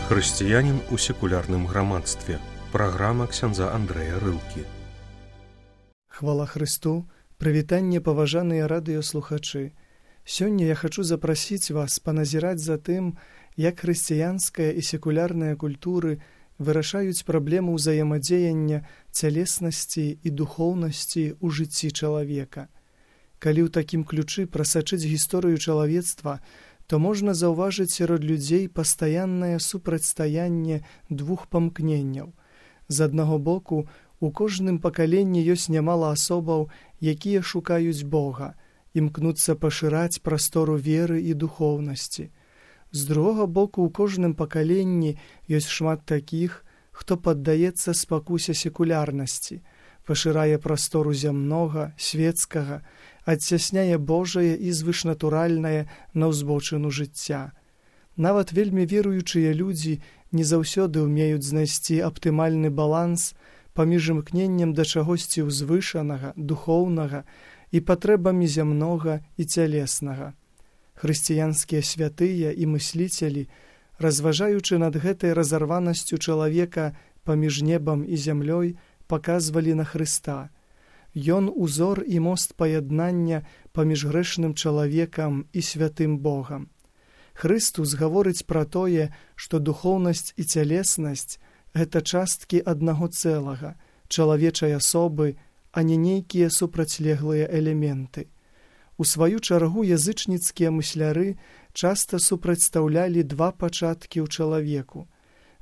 Хрысціянін у секулярным грамадстве. Праграма ксяндза Андрэя Рылкі. Хвала Хрысту, прывітанне, паважаныя радыёслухачы. Сёння я хачу запрасіць вас паназіраць за тым, як хрысціянская і секулярная культуры вырашаюць праблему ўзаемадзеяння цялеснасці і духоўнасці ў жыцці чалавека. Калі ў такім ключы прасачыць гісторыю чалавецтва, то можна заўважыць сярод людзей пастаяннае супрацьстаянне двух памкненняў. З аднаго боку, у кожным пакаленні ёсць нямала асобаў, якія шукаюць Бога, імкнуцца пашыраць прастору веры і духоўнасці. З другога боку, у кожным пакаленні ёсць шмат такіх, хто паддаецца спакусе секулярнасці, пашырае прастору зямнога, свецкага, адцясняе Божае і звышнатуральнае на ўзбочыну жыцця. Нават вельмі веруючыя людзі не заўсёды ўмеюць знайсці аптымальны баланс паміж імкненнем да чагосьці ўзвышанага, духоўнага і патрэбамі зямнога і цялеснага. Хрысціянскія святыя і мысліцелі, разважаючы над гэтай разарванасцю чалавека паміж небам і зямлёй, паказвалі на Хрыста. Ён узор і мост паяднання паміж грэшным чалавекам і святым Богам. Хрыстус гаворыць пра тое, што духоўнасць і цялеснасць – гэта часткі аднаго цэлага, чалавечай асобы, а не нейкія супрацьлеглыя элементы. У сваю чаргу язычніцкія мысляры часта супрацьстаўлялі два пачаткі ў чалавеку.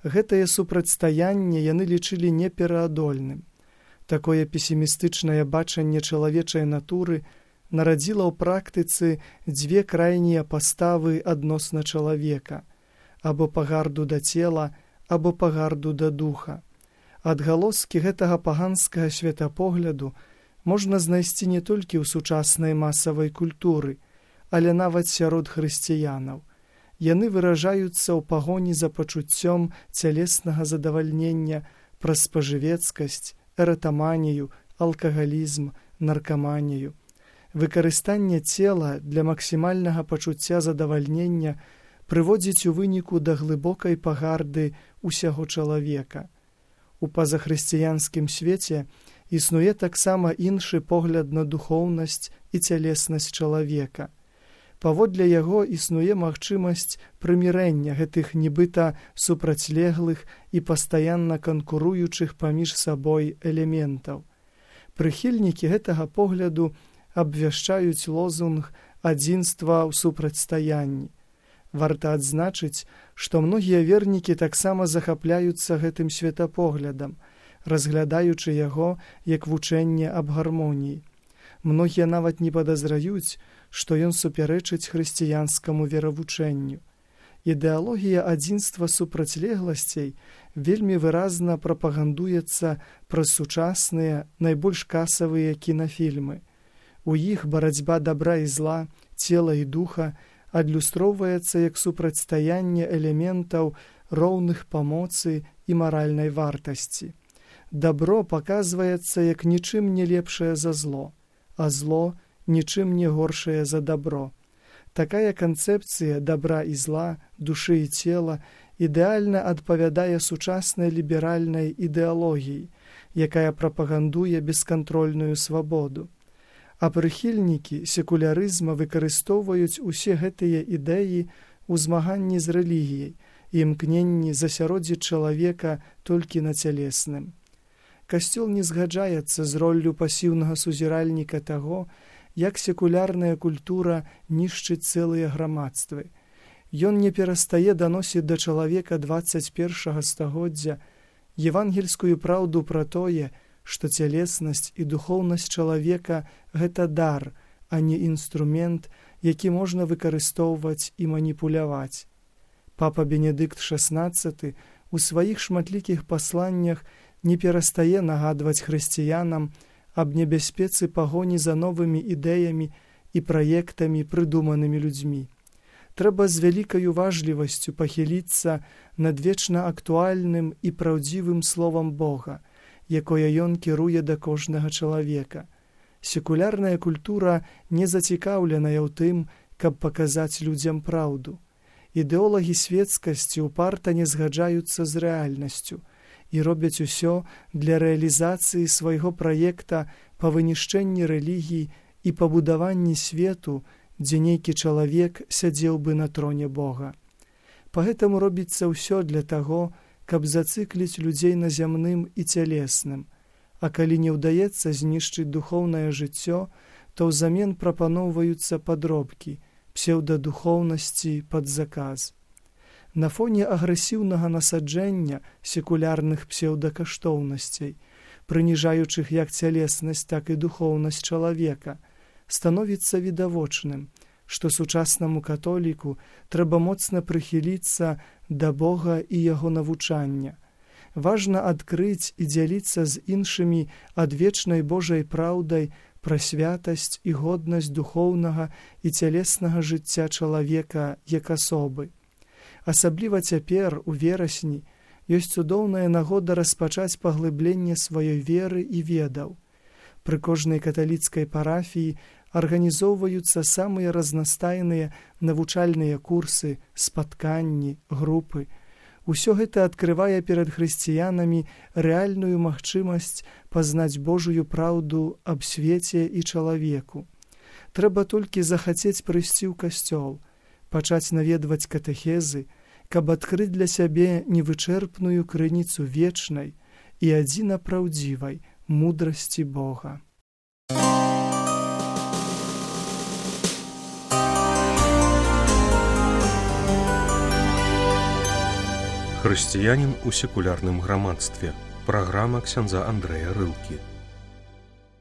Гэтае супрацьстаянне яны лічылі непераадольным. Такое песімістычнае бачанне чалавечай натуры нарадзіла ў практыцы дзве крайнія паставы адносна чалавека, або пагарду да цела, або пагарду да духа. Адгалоскі гэтага паганскага светапогляду можна знайсці не толькі ў сучаснай масавай культуры, але нават сярод хрысціянаў. Яны выражаюцца ў пагоні за пачуццём цялеснага задавальнення праз спажывецкасць, эратаманію, алкагалізм, наркаманію. Выкарыстанне цела для максімальнага пачуцця задавальнення прыводзіць у выніку да глыбокай пагарды ўсяго чалавека. У пазахрысціянскім свеце існуе таксама іншы погляд на духоўнасць і цялеснасць чалавека. Паводле яго існуе магчымасць прымірэння гэтых нібыта супрацьлеглых і пастаянна канкуруючых паміж сабой элементаў. Прыхільнікі гэтага погляду абвяшчаюць лозунг адзінства ў супрацьстаянні. Варта адзначыць, што многія вернікі таксама захапляюцца гэтым светапоглядам, разглядаючы яго як вучэнне аб гармоніі. Многія нават не падазраюць, што ён супярэчыць хрысціянскаму веравучэнню. Ідэалогія адзінства супрацьлегласцей вельмі выразна прапагандуецца праз сучасныя, найбольш касавыя кінафільмы. У іх барацьба дабра і зла, цела і духа адлюстроўваецца як супрацьстаянне элементаў роўных па моцы і маральнай вартасці. Дабро паказваецца як нічым не лепшае за зло, а зло – нічым не горшае за дабро. Такая канцэпцыя дабра і зла, душы і цела ідэальна адпавядае сучаснай ліберальнай ідэалогіі, якая прапагандуе бескантрольную свабоду. А прыхільнікі секулярызма выкарыстоўваюць усе гэтыя ідэі ў змаганні з рэлігіяй і імкненні засяродзіць чалавека толькі на цялесным. Касцёл не згаджаецца з роллю пасіўнага сузіральніка таго, як секулярная культура нішчыць цэлыя грамадствы. Ён не перастае даносіць да чалавека 21 стагоддзя евангельскую праўду пра тое, што цялеснасць і духоўнасць чалавека – гэта дар, а не інструмент, які можна выкарыстоўваць і маніпуляваць. Папа Бенедыкт XVI у сваіх шматлікіх пасланнях не перастае нагадваць хрысціянам аб небяспецы пагоні за новымі ідэямі і праектамі, прыдуманымі людзьмі. Трэба з вялікай уважлівасцю пахіліцца над вечна актуальным і праўдзівым словам Бога, якое ён кіруе да кожнага чалавека. Секулярная культура не зацікаўленая ў тым, каб паказаць людзям праўду. Ідэолагі светскасці упарта не згаджаюцца з рэальнасцю і робяць усё для рэалізацыі свайго праекта па вынішчэнні рэлігій і пабудаванні свету, дзе нейкі чалавек сядзеў бы на троне Бога. Пагэтаму робіцца ўсё для таго, каб зацыкліць людзей на зямным і цялесным, а калі не ўдаецца знішчыць духоўнае жыццё, то ўзамен прапаноўваюцца падробкі, псеўдадухоўнасці пад заказ. На фоне агрэсіўнага насаджэння секулярных псеўдакаштоўнасцей, прыніжаючых як цялеснасць, так і духоўнасць чалавека, становіцца відавочным, што сучаснаму католіку трэба моцна прыхіліцца да Бога і яго навучання. Важна адкрыць і дзяліцца з іншымі адвечнай Божай праўдай пра святасць і годнасць духоўнага і цялеснага жыцця чалавека як асобы. Асабліва цяпер, у верасні, ёсць цудоўная нагода распачаць паглыбленне сваёй веры і ведаў. Пры кожнай каталіцкай парафіі арганізоўваюцца самыя разнастайныя навучальныя курсы, спатканні, групы. Усё гэта адкрывае перад хрысціянамі рэальную магчымасць пазнаць Божую праўду аб свеце і чалавеку. Трэба толькі захацець прыйсці ў касцёл, пачаць наведваць катэхезы, каб адкрыць для сябе невычэрпную крыніцу вечнай і адзіна праўдзівай мудрасці Бога. Хрысціянін у секулярным грамадстве. Праграма ксяндза Андрэя Рылкі.